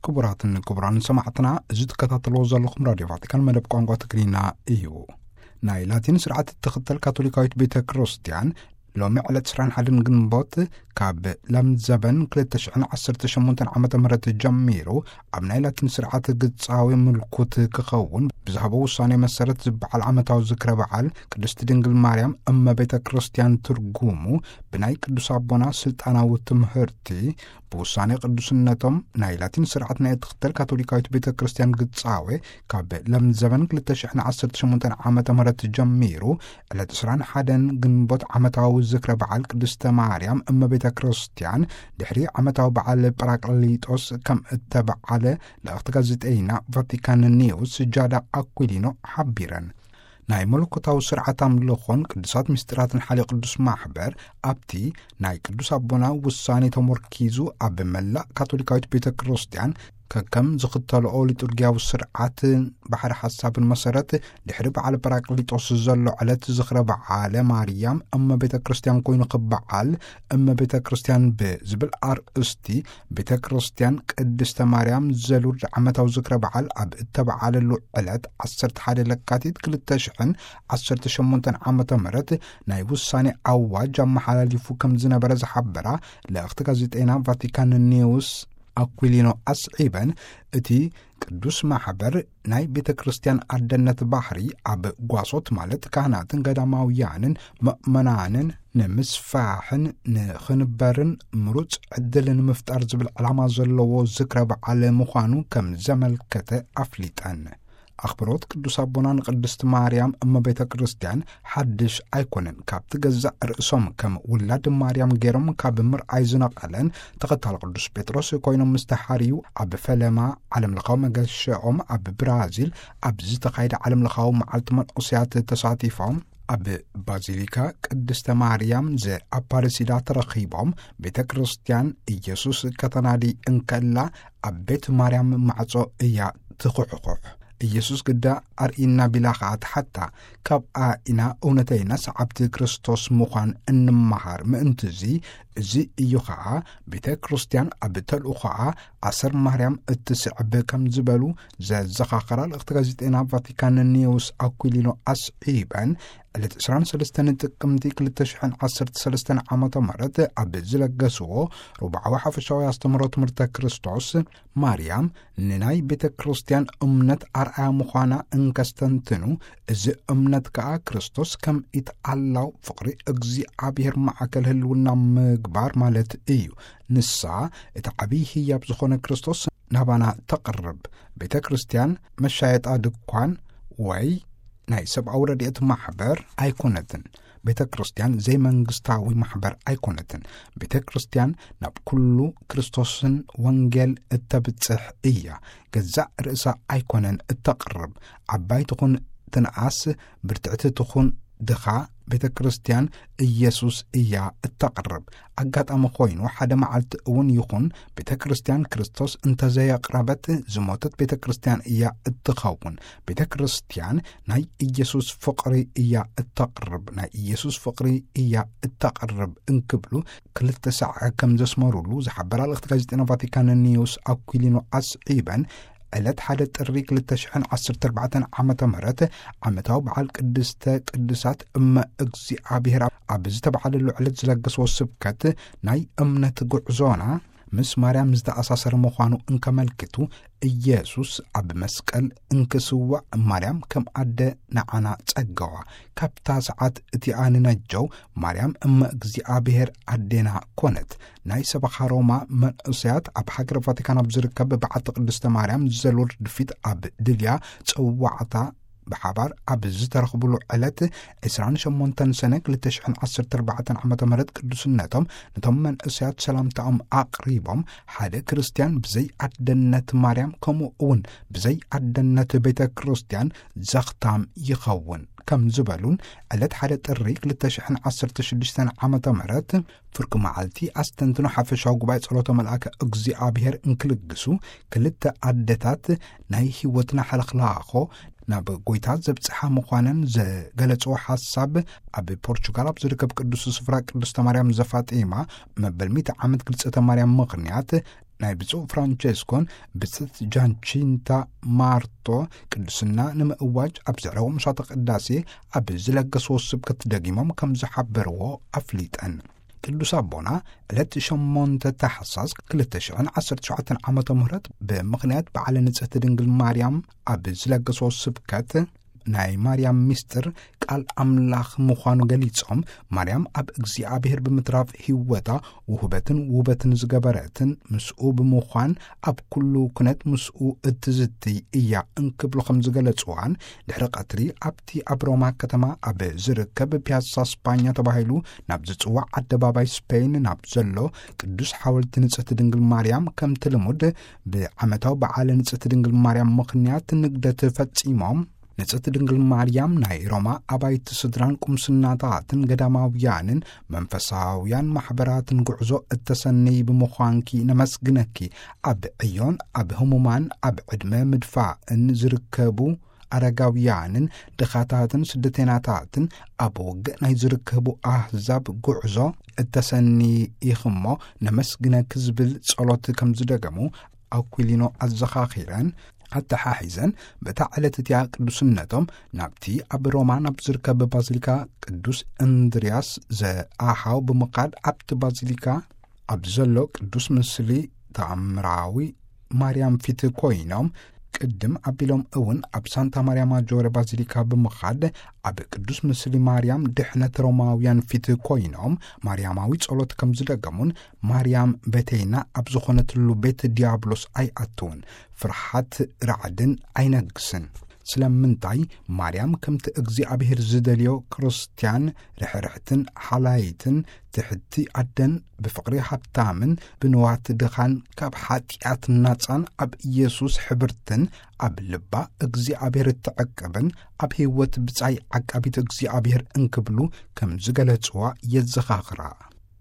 ክቡራትን ክቡራን ሰማዕትና፣ እዚ ትከታተልዎ ዘለኹም ራድዮ ቫቲካን መደብ ቋንቋ ትግርኛ እዩ። ናይ ላቲን ስርዓት እትኽተል ካቶሊካዊት ቤተ ክርስቲያን ሎሚ ዕለት ዕስራን ሓደን ግንቦት ካብ ለም ዘበን ክልተ ሽሕን ዓሰርተ ሸሞንተን ዓመተ ምህረት ጀሚሩ ኣብ ናይ ላቲን ስርዓት ግጻዊ ምልኩት ክኸውን ብዝሃቦ ውሳኔ መሰረት ዝበዓል ዓመታዊ ዝክረ በዓል ቅድስቲ ድንግል ማርያም እመ ቤተ ክርስቲያን ትርጉሙ ብናይ ቅዱስ ኣቦና ስልጣናዊ ትምህርቲ ብውሳኔ ቅዱስነቶም ናይ ላቲን ስርዓት ናይ እትኽተል ካቶሊካዊት ቤተ ክርስቲያን ግጻዌ ካብ ለም ዘበን ክልተ ሽሕን ዓሰርተ ሸሞንተን ዓመተ ምህረት ጀሚሩ ዕለት ዕስራን ሓደን ግንቦት ዓመታዊ ዝክረ በዓል ቅድስተ ማርያም እመ ቤተ ክርስቲያን ድሕሪ ዓመታዊ በዓል ጳራቅሊጦስ ከም እተበዓለ ልእኽቲ ጋዜጠይና ቫቲካን ኒውስ ጃዳ ኣኩሊኖ ሓቢረን። ናይ መለኮታዊ ስርዓት ኣምልኾን ቅዱሳት ምስጢራትን ሓልዮ ቅዱስ ማሕበር ኣብቲ ናይ ቅዱስ ኣቦና ውሳኔ ተመርኪዙ ኣብ መላእ ካቶሊካዊት ቤተ ክርስቲያን ከከም ዝኽተልኦ ሊጡርጊያዊ ስርዓት ባሕሪ ሓሳብን መሰረት ድሕሪ በዓል ጳራቅሊጦስ ዘሎ ዕለት ዝኽረ በዓለ ማርያም እመ ቤተ ክርስቲያን ኮይኑ ክበዓል እመ ቤተ ክርስቲያን ብዝብል ኣርእስቲ ቤተ ክርስቲያን ቅድስተ ማርያም ዘሉርድ ዓመታዊ ዝክረ በዓል ኣብ እተበዓለሉ ዕለት ዓሰርተ ሓደ ለካቲት ክልተ ሽሕን ዓሰርተ ሸሞንተን ዓመተ ምህረት ናይ ውሳኔ ኣዋጅ ኣመሓላሊፉ ከም ዝነበረ ዝሓበራ ልእኽቲ ጋዜጠይና ቫቲካን ኒውስ ኣኩሊኖ ኣስዒበን፣ እቲ ቅዱስ ማሕበር ናይ ቤተ ክርስቲያን ኣደነት ባህሪ ኣብ ጓሶት ማለት ካህናትን ገዳማውያንን ምእመናንን ንምስፋሕን ንኽንበርን ምሩጽ ዕድል ንምፍጣር ዝብል ዕላማ ዘለዎ ዝክረ በዓል ምዃኑ ከም ዘመልከተ ኣፍሊጠን። ኣኽብሮት ቅዱስ ኣቦና ንቅድስቲ ማርያም እመ ቤተ ክርስቲያን ሓድሽ ኣይኮነን። ካብቲ ገዛእ ርእሶም ከም ውላድ ማርያም ገይሮም ካብ ምርኣይ ዝነቐለን ተኸታሊ ቅዱስ ጴጥሮስ ኮይኖም ምስ ተሓርዩ ኣብ ፈለማ ዓለምለኻዊ መገሻኦም ኣብ ብራዚል ኣብ ዝተኻየደ ዓለምለኻዊ መዓልቲ መንእሰያት ተሳቲፎም ኣብ ባዚሊካ ቅድስተ ማርያም ዘኣፓረሲዳ ተረኺቦም ቤተ ክርስቲያን ኢየሱስ ከተናዲ እንከላ ኣብ ቤት ማርያም ማዕጾ እያ ትኹሕኹሕ። ኢየሱስ ግዳ ኣርኢና ቢላ ኸኣ ትሓታ። ካብኣ ኢና እውነተይና ሰዓብቲ ክርስቶስ ምዃን እንመሃር። ምእንትዚ እዚ እዩ ኸኣ ቤተ ክርስቲያን ኣብ ተልእኾኣ ኣሰር ማርያም እትስዕብ ከም ዝበሉ ዘዘኻኸራ ልእኽቲ ጋዜጠና ቫቲካን ኒውስ ኣኩሊኖ ኣስዒበን ዕለት ዕስራን ሰለስተን ጥቅምቲ ክልተ ሽሕን ዓሰርተ ሰለስተን ዓመተ ምህረት ኣብ ዝለገስዎ ሩብዓዊ ሓፈሻዊ ኣስተምህሮ ትምህርተ ክርስቶስ ማርያም ንናይ ቤተ ክርስቲያን እምነት ኣርኣያ ምዃና እንከስተንትኑ፣ እዚ እምነት ከኣ ክርስቶስ ከም ኢትኣላው ፍቕሪ እግዚኣብሔር ማዕከል ህልውና ምግባር ማለት እዩ። ንሳ እቲ ዓብዪ ህያብ ዝኾነ ክርስቶስ ናባና ተቕርብ። ቤተ ክርስቲያን መሻየጣ ድኳን ወይ ናይ ሰብኣዊ ረድኤት ማሕበር ኣይኮነትን። ቤተ ክርስቲያን ዘይመንግስታዊ ማሕበር ኣይኮነትን። ቤተ ክርስቲያን ናብ ኩሉ ክርስቶስን ወንጌል እተብጽሕ እያ። ገዛእ ርእሳ ኣይኮነን እተቕርብ። ዓባይ ትኹን ትንኣስ፣ ብርትዕቲ ትኹን ድኻ፣ ቤተ ክርስቲያን ኢየሱስ እያ እተቕርብ። ኣጋጣሚ ኮይኑ ሓደ መዓልቲ እውን ይኹን ቤተ ክርስቲያን ክርስቶስ እንተዘየቕረበት ዝሞተት ቤተ ክርስቲያን እያ እትኸውን። ቤተ ክርስቲያን ናይ ኢየሱስ ፍቕሪ እያ እተቕርብ፣ ናይ ኢየሱስ ፍቕሪ እያ እተቕርብ እንክብሉ ክልተ ሳዕ ከም ዘስመሩሉ ዝሓበራ ልእኽቲ ጋዜጠና ቫቲካን ኒውስ ኣኩሊኖ ኣስዒበን፣ ዕለት ሓደ ጥሪ ክልተ ሽሕን ዓሰርተ ኣርባዕተን ዓመተ ምህረት ዓመታዊ በዓል ቅድስተ ቅዱሳት እመ እግዚኣብሔር ኣብ ዝተባዕለሉ ዕለት ዝለገስዎ ስብከት ናይ እምነት ጉዕዞና ምስ ማርያም ዝተኣሳሰረ ምዃኑ እንከመልክቱ፣ ኢየሱስ ኣብ መስቀል እንክስዋዕ ማርያም ከም ኣደ ንዓና ጸገዋ። ካብታ ሰዓት እቲኣ ንነጀው ማርያም እመ እግዚኣብሔር ኣዴና ኮነት። ናይ ሰበኻ ሮማ መንእሰያት ኣብ ሃገረ ቫቲካን ኣብ ዝርከብ በዓቲ ቅድስተ ማርያም ዘሎርድ ፊት ኣብ ድልያ ጽዋዕታ ብሓባር ኣብ ዝተረኽብሉ ዕለት ዕስራን ሸሞንተን ሰነ ክልተ ሽሕን ዓሰርተ ኣርባዕተን ዓመተ ምህረት ቅዱስነቶም ነቶም መንእሰያት ሰላምታኦም ኣቕሪቦም፣ ሓደ ክርስትያን ብዘይ ኣደነት ማርያም ከምኡ እውን ብዘይ ኣደነት ቤተ ክርስቲያን ዘኽታም ይኸውን ከም ዝበሉን ዕለት ሓደ ጥሪ ክልተ ሽሕን ዓሰርተ ሽዱሽተን ዓመተ ምህረት ፍርቂ መዓልቲ ኣስተንትኖ ሓፈሻዊ ጉባኤ ጸሎተ መልኣከ እግዚኣብሔር እንክልግሱ፣ ክልተ ኣደታት ናይ ህይወትና ሕልኽላኾ ናብ ጎይታ ዘብጽሓ ምዃነን ዘገለጽዎ ሓሳብ፣ ኣብ ፖርቹጋል ኣብ ዝርከብ ቅዱስ ስፍራ ቅድስተ ማርያም ዘፋጢማ መበል ሚእቲ ዓመት ግልጸተ ማርያም ምኽንያት ናይ ብፁዕ ፍራንቸስኮን ብፅት ጃንቺንታ ማርቶ ቅዱስና ንምእዋጅ ኣብ ዘዕረዎ ምሻተ ቅዳሴ ኣብ ዝለገስዎ ስብከት ደጊሞም ከም ዝሓበርዎ ኣፍሊጠን። ቅዱስ ኣቦና ዕለት ሸሞንተ ታሕሳስ ክልተ ሽሕን ዓሰርተ ሸውዓተን ዓመተ ምህረት ብምኽንያት በዓለ ንጽሕቲ ድንግል ማርያም ኣብ ዝለገስዎ ስብከት ናይ ማርያም ምስጢር ቃል ኣምላኽ ምዃኑ ገሊጾም፣ ማርያም ኣብ እግዚኣብሔር ብምትራፍ ህይወታ ውህበትን ውበትን ዝገበረትን ምስኡ ብምዃን ኣብ ኩሉ ኩነት ምስኡ እትዝትይ እያ እንክብሉ ከም ዝገለጽዋን፣ ድሕሪ ቀትሪ ኣብቲ ኣብ ሮማ ከተማ ኣብ ዝርከብ ፒያሳ ስፓኛ ተባሂሉ ናብ ዝጽዋዕ ኣደባባይ ስፔን ናብ ዘሎ ቅዱስ ሓወልቲ ንጽሕቲ ድንግል ማርያም ከምቲ ልሙድ ብዓመታዊ በዓለ ንጽሕቲ ድንግል ማርያም ምኽንያት ንግደት ፈጺሞም፣ ንጽሕቲ ድንግል ማርያም ናይ ሮማ ኣባይቲ ስድራን ቁምስናታትን ገዳማውያንን መንፈሳውያን ማሕበራትን ጉዕዞ እተሰነይ ብምዃንኪ ነመስግነኪ። ኣብ ዕዮን ኣብ ህሙማን ኣብ ዕድመ ምድፋእን ዝርከቡ ኣረጋውያንን ድኻታትን ስደተናታትን ኣብ ውግእ ናይ ዝርከቡ ኣህዛብ ጉዕዞ እተሰኒ ኢኽሞ ነመስግነኪ ዝብል ጸሎት ከም ዝደገሙ ኣኩሊኖ ኣዘኻኺረን ኣተሓሒዘን፣ በታ ዕለት እቲኣ ቅዱስነቶም ናብቲ ኣብ ሮማ ናብ ዝርከብ ባዚሊካ ቅዱስ እንድርያስ ዘኣሃው ብምኻድ ኣብቲ ባዚሊካ ኣብ ዘሎ ቅዱስ ምስሊ ተኣምራዊ ማርያም ፊት ኮይኖም ቅድም ኣቢሎም እውን ኣብ ሳንታ ማርያ ማጆረ ባዚሊካ ብምኻድ ኣብ ቅዱስ ምስሊ ማርያም ድሕነት ሮማውያን ፊት ኮይኖም ማርያማዊ ጸሎት ከም ዝደገሙን ማርያም ቤተይና ኣብ ዝኾነትሉ ቤት ዲያብሎስ ኣይኣትውን፣ ፍርሓት ራዕድን ኣይነግስን። ስለምንታይ ማርያም ከምቲ እግዚኣብሔር ዝደልዮ ክርስትያን ርሕርሕትን ሓላይትን ትሕቲ ኣደን ብፍቕሪ ሃብታምን ብንዋት ድኻን ካብ ሓጢኣት ናጻን ኣብ ኢየሱስ ሕብርትን ኣብ ልባ እግዚኣብሔር እትዕቅብን ኣብ ህይወት ብጻይ ዓቃቢት እግዚኣብሔር እንክብሉ ከም ዝገለጽዋ የዘኻኽራ።